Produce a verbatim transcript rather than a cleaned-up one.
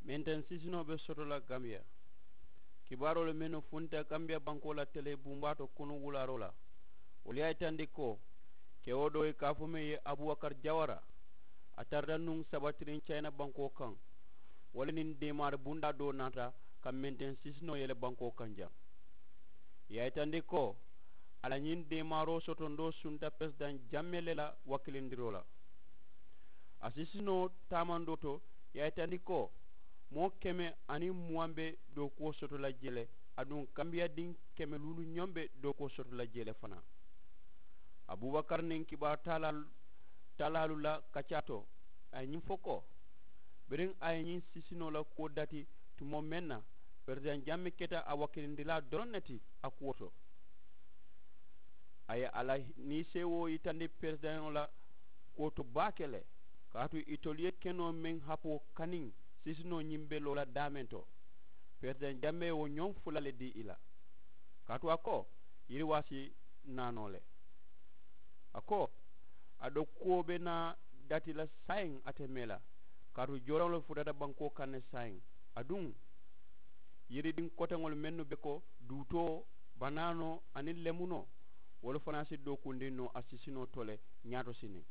Menteŋ sisinoo be soto la gambiya. Kibaaroolu mennu funta gambiya bankoo la tele bumbaato kunu wulaaroo la, wolu ye a yitandi ko kewo doo ye ka a fo meŋ ye abubakar jawara, a tarata nuŋ sabatiriŋ cayina bankoo kaŋ. Wo le niŋ deemaari bundaa doo naata ka menteŋ sisinoo yele bankoo kaŋ jaŋ. Ì ye a yitandi ko a la ñiŋ deemaaroo sotondoo sunta peresidaŋ jamme le la wakilindiroo la. A sisinoo taamandoo to, ì ye a yitandi ko moo keme aniŋ muwaŋ be dookuwo soto la jee le, aduŋ kambiyadiŋ keme luulu ñoŋ be dookuwo soto la jee le fanaa. Abubakar niŋ kibaaru taalaalu taalaalu la kaccaa to, a ye ñiŋ fo ko biriŋ a ye ñiŋ sisinoo la kuwo dati tumoo meŋ na, peresidaŋ jamme keta a wakilindirilaa doroŋ ne ti a kuwo to. A ye a la niiseewoo yitandi peresidaŋo la kuwo to baake le, kaatu itolu ye kenoo meŋ hapoo kaniŋ sisinoo ñiŋ be loo la daameŋ to. Peresidaŋ jamme ye wo ñoŋ fula le dii i la, kaatu a ko yiriwaa si naa noo le. A ko a dookuwo be naa dati la saayiŋ ate mee la, kaatu jooraŋolu futata bankoo kaŋ ne saayiŋ. Aduŋ yiridiŋ koteŋolu mennu be ko duutoo, banaanoo aniŋ lemunoo, wolu fanaa si dookundiŋ noo a sisinoo to le ñaato siniŋ.